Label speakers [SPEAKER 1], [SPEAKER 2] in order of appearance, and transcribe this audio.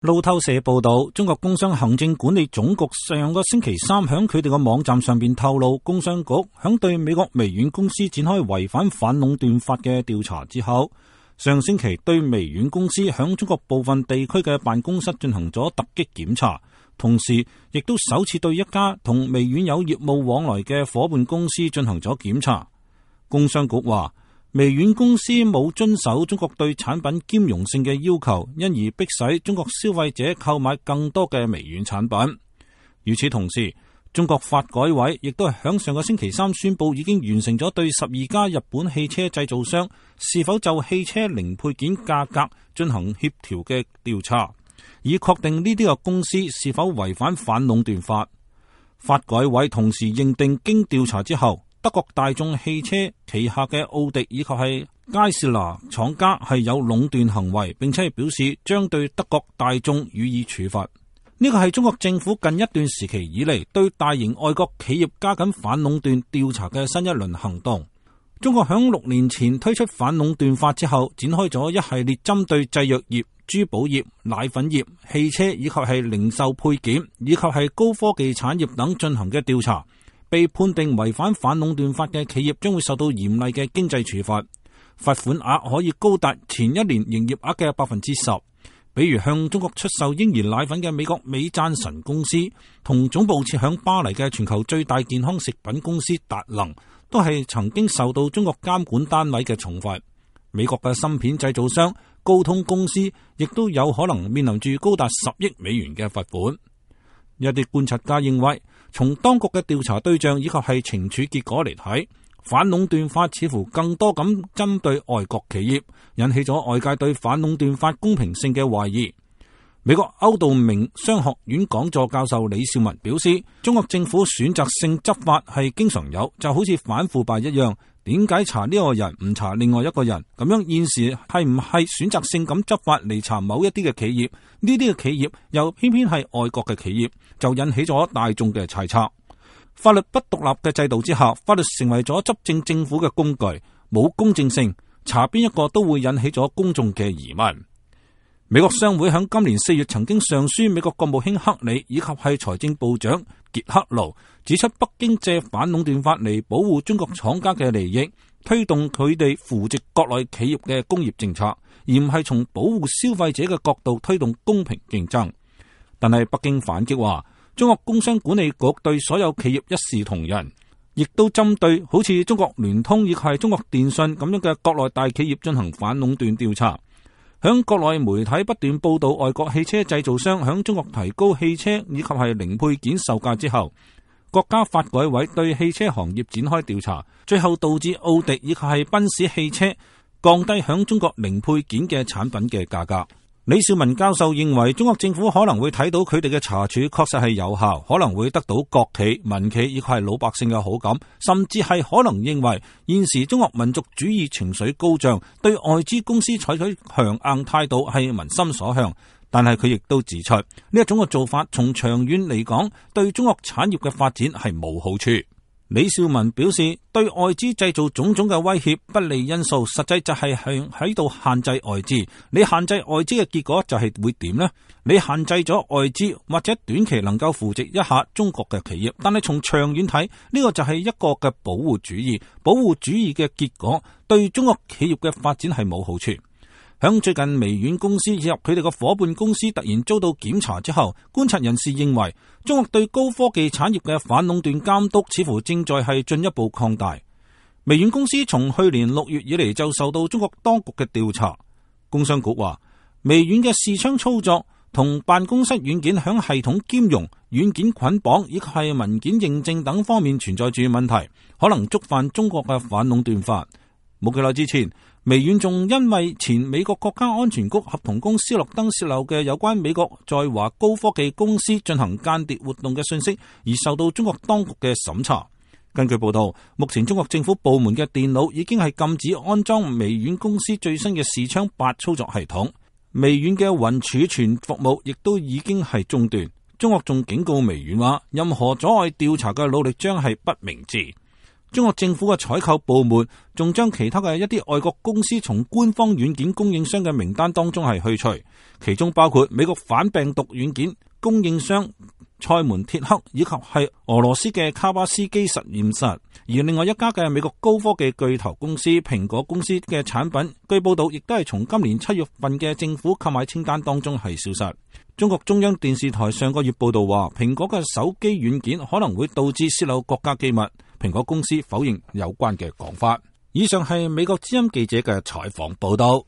[SPEAKER 1] 路透社報道，中國工商行政管理總局上個星期三響佢哋個網站上邊透露，工商局響對美國微軟公司展開違反反壟斷法嘅調查之後，上星期對微軟公司響中國部分地區嘅辦公室進行咗突擊檢查，同時亦都首次對一家同微軟有業務往來嘅夥伴公司進行咗檢查。工商局話，微軟公司冇遵守中國對產品兼容性嘅要求，因而迫使中國消費者購買更多嘅微軟產品。與此同時，中國發改委亦都係響上個星期三宣布，已經完成咗對12家日本汽車製造商是否就汽車零配件價格進行協調嘅調查，以確定呢啲嘅公司是否違反反壟斷法。發改委同時認定，經調查之後，德國大眾汽車旗下嘅奧迪以及係佳士拿廠家係有壟斷行為，並且係表示將對德國大眾予以處罰。呢個係中國政府近一段時期以嚟對大型外國企業加緊反壟斷調查嘅新一輪行動。中國響6年前推出反壟斷法之後，展開咗一系列針對製藥業、珠寶業、奶粉業、汽車以及係零售配件以及係高科技產業等進行嘅調查。被判定違反反壟斷法嘅企業將會受到嚴厲嘅經濟處罰，罰款額可以高達前一年營業額嘅10%。比如向中國出售嬰兒奶粉嘅美國美贊臣公司，同總部設響巴黎嘅全球最大健康食品公司達能，都係曾經受到中國監管單位嘅重罰。美國嘅芯片製造商高通公司亦都有可能面臨住高達10億美元嘅罰款。一啲觀察家認為，從當局嘅調查對象以及係懲處結果嚟睇，反壟斷法似乎更多咁針對外國企業，引起咗外界對反壟斷法公平性嘅懷疑。美國歐道明商學院講座教授李少文表示，中國政府選擇性執法係經常有，就好似反腐敗一樣，點解查呢個人唔查另外一個人？咁樣現時係唔係選擇性咁執法嚟查某一啲嘅企業？呢啲嘅企業又偏偏係外國嘅企業，就引起咗大眾嘅猜測。法律不獨立嘅制度之下，法律成為咗執政政府嘅工具，冇公正性，查邊一個都會引起咗公眾嘅疑問。美國商會喺今年4月曾經上書美國國務卿克里以及係財政部長傑克勞，指出北京借反壟斷法嚟保護中國廠家嘅利益，推動佢哋扶植國內企業嘅工業政策，而唔係從保護消費者嘅角度推動公平競爭。但係北京反擊話，中國工商管理局對所有企業一視同仁，亦都針對好似中國聯通以及係中國電信咁樣嘅國內大企業進行反壟斷調查。響國內媒體不斷報道外國汽車製造商響中國提高汽車以及係零配件售價之後，國家發改委對汽車行業展開調查，最後導致奧迪以及係賓士汽車降低響中國零配件嘅產品嘅價格。李少文教授認為，中國政府可能會睇到佢哋嘅查處確實係有效，可能會得到國企、民企以及係老百姓嘅好感，甚至係可能認為現時中國民族主義情緒高漲，對外資公司採取強硬態度係民心所向。但係佢亦都指出，呢一種嘅做法從長遠嚟講，對中國產業嘅發展係冇好處。李少文表示，對外資製造種種嘅威脅不利因素，實際就係喺度限制外資。你限制外資嘅結果就係會點呢？你限制咗外資，或者短期能夠扶植一下中國嘅企業，但係從長遠睇，呢個就係一個嘅保護主義。保護主義嘅結果對中國企業嘅發展係冇好處。響最近微軟公司以及佢哋嘅夥伴公司突然遭到檢查之後，觀察人士認為，中國對高科技產業嘅反壟斷監督似乎正在係進一步擴大。微軟公司從去年6月以嚟就受到中國當局嘅調查。工商局話，微軟嘅視窗操作同辦公室軟件響系統兼容、軟件捆綁以及係文件認證等方面存在住問題，可能觸犯中國嘅反壟斷法。冇幾耐之前，微軟仲因為前美國國家安全局合同公司洛登泄漏嘅有關美國在華高科技公司進行間諜活動嘅信息，而受到中國當局嘅審查。根據報道，目前中國政府部門嘅電腦已經係禁止安裝微軟公司最新嘅視窗8操作系統，微軟嘅雲儲存服務亦都已經係中斷。中國仲警告微軟話，任何阻礙調查嘅努力將係不明智。中國政府嘅採購部門仲將其他嘅一啲外國公司從官方軟件供應商嘅名單當中係去除，其中包括美國反病毒軟件供應商賽門鐵克以及係俄羅斯嘅卡巴斯基實驗室，而另外一家嘅美國高科技巨頭公司蘋果公司嘅產品，據報道亦都係從今年7月份嘅政府購買清單當中係消失。中國中央電視台上個月報道話，蘋果嘅手機軟件可能會導致洩露國家機密，蘋果公司否認有關嘅講法。以上係美國之音記者嘅採訪報道。